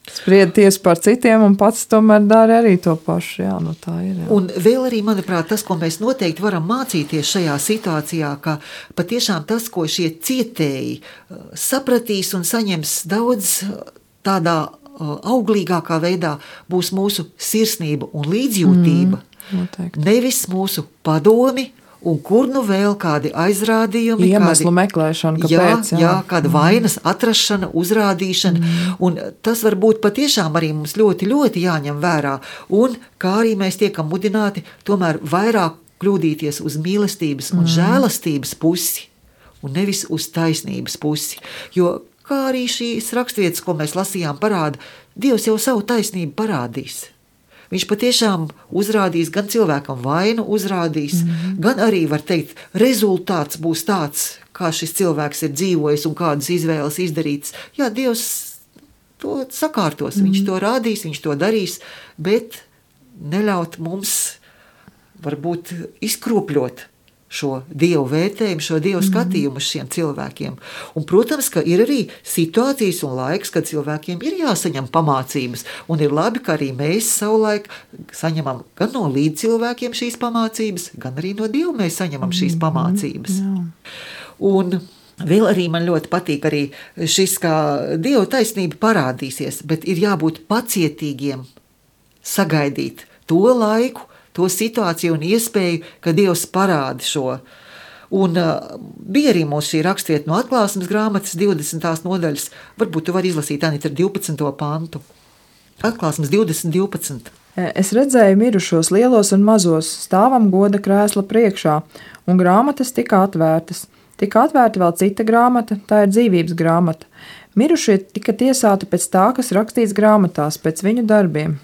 S3: spried tiesu par citiem un pats tomēr dara arī to pašu. Jā, tā ir. Jā.
S1: Un vēl arī, manuprāt, tas, ko mēs noteikti varam mācīties šajā situācijā, ka patiešām tas, ko šie cietēji sapratīs un saņems daudz tādā auglīgākā veidā, būs mūsu sirsnība un līdzjūtība. Nevis mūsu padomi, un kur vēl kādi aizrādījumi,
S3: iemeslu meklēšana, kāpēc.
S1: Jā, kāda vainas atrašana, uzrādīšana, un tas var būt patiešām arī mums ļoti, ļoti jāņem vērā, un kā arī mēs tiekam mudināti tomēr vairāk kļūdīties uz mīlestības un žēlastības pusi, un nevis uz taisnības pusi, jo kā arī šīs rakstvietas, ko mēs lasījām, parāda, Dievs jau savu taisnību parādīs. Viņš patiešām uzrādīs gan cilvēkam vainu, gan arī, var teikt, rezultāts būs tāds, kā šis cilvēks ir dzīvojis un kādas izvēles izdarīts. Jā, Dievs to sakārtos, viņš to rādīs, viņš to darīs, bet neļaut mums varbūt izkropļot šo Dievu vērtējumu, šo Dievu skatījumu uz šiem cilvēkiem. Un, protams, ka ir arī situācijas un laiks, kad cilvēkiem ir jāsaņem pamācības, un ir labi, ka arī mēs savulaik saņemam gan no līdzcilvēkiem šīs pamācības, gan arī no Dieva mēs saņemam šīs pamācības. Un vēl arī man ļoti patīk arī šis, kā Dieva taisnība parādīsies, bet ir jābūt pacietīgiem, sagaidīt to laiku, to situāciju un iespēju, ka Dievs parāda šo. Un bija arī mums šī rakstvieta no Atklāsmes grāmatas 20. nodaļas. Varbūt tu vari izlasīt, Anita, ar 12. pantu. Atklāsmes 20:12.
S3: Es redzēju mirušos lielos un mazos, stāvam goda krēsla priekšā, un grāmatas tika atvērtas. Tika atvērta vēl cita grāmata, tā ir dzīvības grāmata. Mirušie tika tiesāti pēc tā, kas rakstīts grāmatās, pēc viņu darbiem.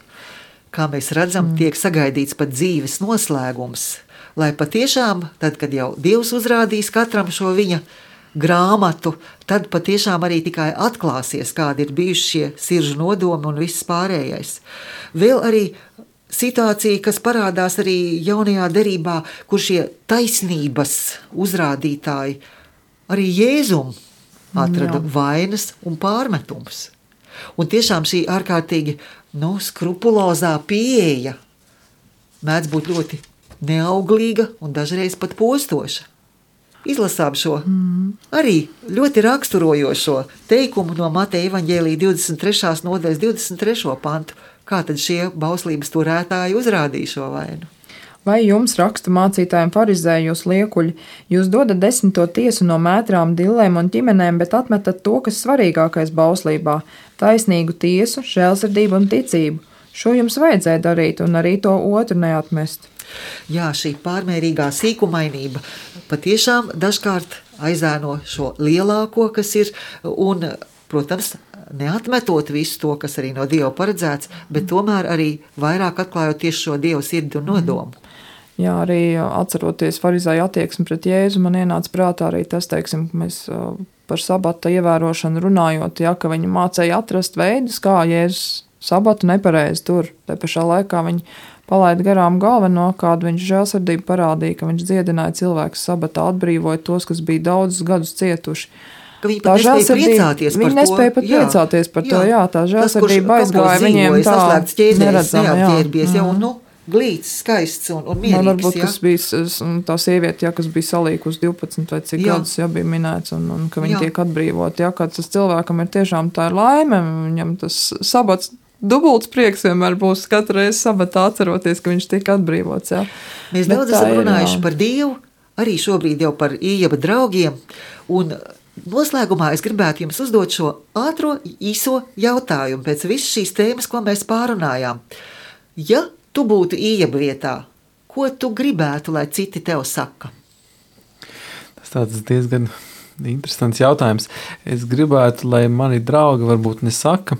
S1: Kā mēs redzam, tiek sagaidīts pat dzīves noslēgums, lai patiešām, tad, kad jau Dievs uzrādīs katram šo viņa grāmatu, tad patiešām arī tikai atklāsies, kādi ir bijuši šie sirdžu nodomi un viss pārējais. Vēl arī situācija, kas parādās arī jaunajā derībā, kur šie taisnības uzrādītāji arī Jēzum atrada vainas un pārmetumus. Un tiešām šī ārkārtīgi skrupulozā pieeja mēdz būt ļoti neauglīga un dažreiz pat postoša. Izlasām šo arī ļoti raksturojošo teikumu no Mateja evaņģēlija 23. nodaļas 23. pantu. Kā tad šie bauslības turētāji uzrādīja šo vainu?
S3: Vai jums, rakstu mācītājiem, farizēji, jūs liekuļi, jūs dodat 10. tiesu no mētrām, dillēm un ķimenēm, bet atmetat to, kas svarīgākais bauslībā - taisnīgu tiesu, žēlsirdību un ticību. Šo jums vajadzēja darīt un arī to otru neatmest.
S1: Jā, šī pārmērīgā sīkumainība patiešām dažkārt aizēno šo lielāko, kas ir, un, protams, neatmetot visu to, kas arī no Dieva paredzēts, bet tomēr arī vairāk atklājot tieši šo Dieva sirdi un nodomu.
S3: Jā, arī atceroties farizēju attieksmi pret Jēzu, man ienāca prātā arī tas, teiksim, mēs par sabata ievērošanu runājot, ja, ka viņi mācēja atrast veidus, kā Jēzus sabatu nepareizi tur. Te pašā laikā viņi palaida garām galveno, kādu viņš žēlsirdību parādīja, ka viņš dziedināja cilvēkus sabatā, atbrīvoja tos, kas bija daudzus gadus cietuši.
S1: Viņi pat nespēja priecāties par to.
S3: Viņi nespēja pat priecāties par to, jā, tā žēlsirdība aizgāja viņiem tā
S1: neredzam, jā. Glīts, skaists un mierīgs.
S3: Varbūt, kas bija tā sieviete, kas bija salīkus 12 vai cik gadus, bija minēts, un ka viņi tiek atbrīvoti. Kāds tas cilvēkam ir tiešām tā ir laime, viņam tas sabats dubults prieks vienmēr būs katru reizi sabatā atceroties, ka viņš tiek atbrīvots. Jā.
S1: Mēs daudz esam runājuši par Dievu, arī šobrīd jau par Ījaba draugiem, un noslēgumā es gribētu jums uzdot šo ātro, īso jautājumu pēc visas šīs tēmas, ko mēs pārunājām. Ja tu būtu Ījaba vietā, ko tu gribētu, lai citi tev saka?
S2: Tas tāds diezgan interesants jautājums. Es gribētu, lai mani draugi varbūt nesaka,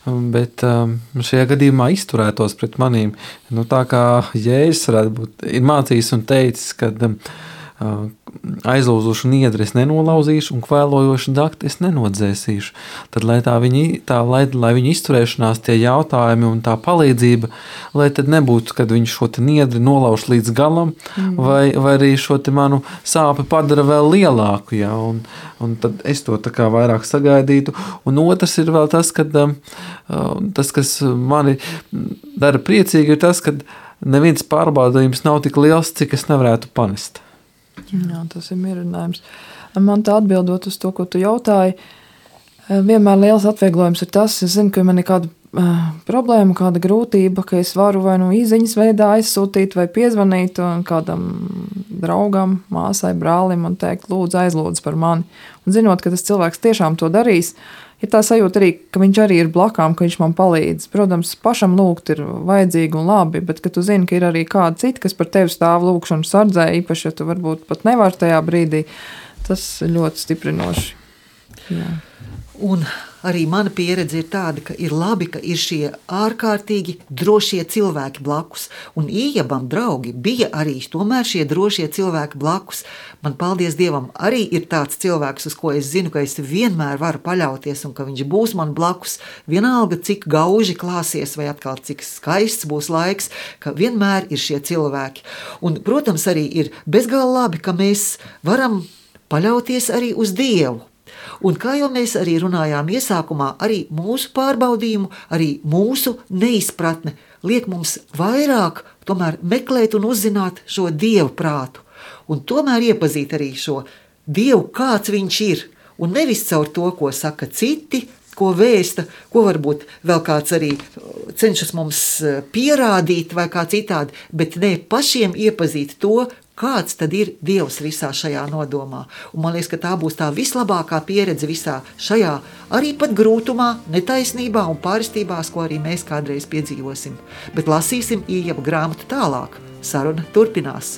S2: bet šajā gadījumā izturētos pret manīm. Tā kā Jēzus varētu būt, ir mācījis un teicis, ka aizlūzušu niedri es nenolauzīšu un kvēlojošu dakti es nenodzēsīšu. Tad, lai viņa izturēšanās, tie jautājumi un tā palīdzība, lai tad nebūtu, kad viņš šo te niedri nolauž līdz galam, vai arī šo te manu sāpi padara vēl lielāku, ja, un tad es to tā kā vairāk sagaidītu. Un otrs ir vēl tas, ka tas, kas mani dara priecīgi, ir tas, ka neviens pārbaudījums nav tik liels, cik es nevarētu panest.
S3: Jā, tas ir mierinājums. Man tā atbildot uz to, ko tu jautāji, vienmēr liels atvieglojums ir tas, es zinu, ka man ir kāda problēma, kāda grūtība, ka es varu vai īziņas veidā aizsūtīt vai piezvanīt kādam draugam, māsai, brālim un teikt, lūdzu, aizlūdzu par mani. Un zinot, ka tas cilvēks tiešām to darīs, ir tā sajūta arī, ka viņš arī ir blakām, ka viņš man palīdz. Protams, pašam lūgt ir vajadzīgi un labi, bet ka tu zini, ka ir arī kāda cita, kas par tevi stāv lūgšanu sardzē, īpaši, ja tu varbūt pat nevar tajā brīdī, tas ļoti stiprinoši. Jā.
S1: Un arī mana pieredze ir tāda, ka ir labi, ka ir šie ārkārtīgi drošie cilvēki blakus. Un Ījabam draugi bija arī tomēr šie drošie cilvēki blakus. Man, paldies Dievam, arī ir tāds cilvēks, uz ko es zinu, ka es vienmēr varu paļauties un ka viņš būs man blakus. Vienalga, cik gauži klāsies vai atkal cik skaists būs laiks, ka vienmēr ir šie cilvēki. Un, protams, arī ir bezgalīgi labi, ka mēs varam paļauties arī uz Dievu. Un kā jau mēs arī runājām iesākumā, arī mūsu pārbaudījumu, arī mūsu neizpratne liek mums vairāk tomēr meklēt un uzzināt šo Dievu prātu. Un tomēr iepazīt arī šo Dievu, kāds viņš ir. Un nevis caur to, ko saka citi, ko vēsta, ko varbūt vēl kāds arī cenšas mums pierādīt vai kā citādi, bet ne pašiem iepazīt to, kāds tad ir Dievs visā šajā nodomā. Un man liekas, ka tā būs tā vislabākā pieredze visā šajā arī pat grūtumā, netaisnībā un pārstībās, ko arī mēs kādreiz piedzīvosim. Bet lasīsim Ījaba grāmatu tālāk. Saruna turpinās.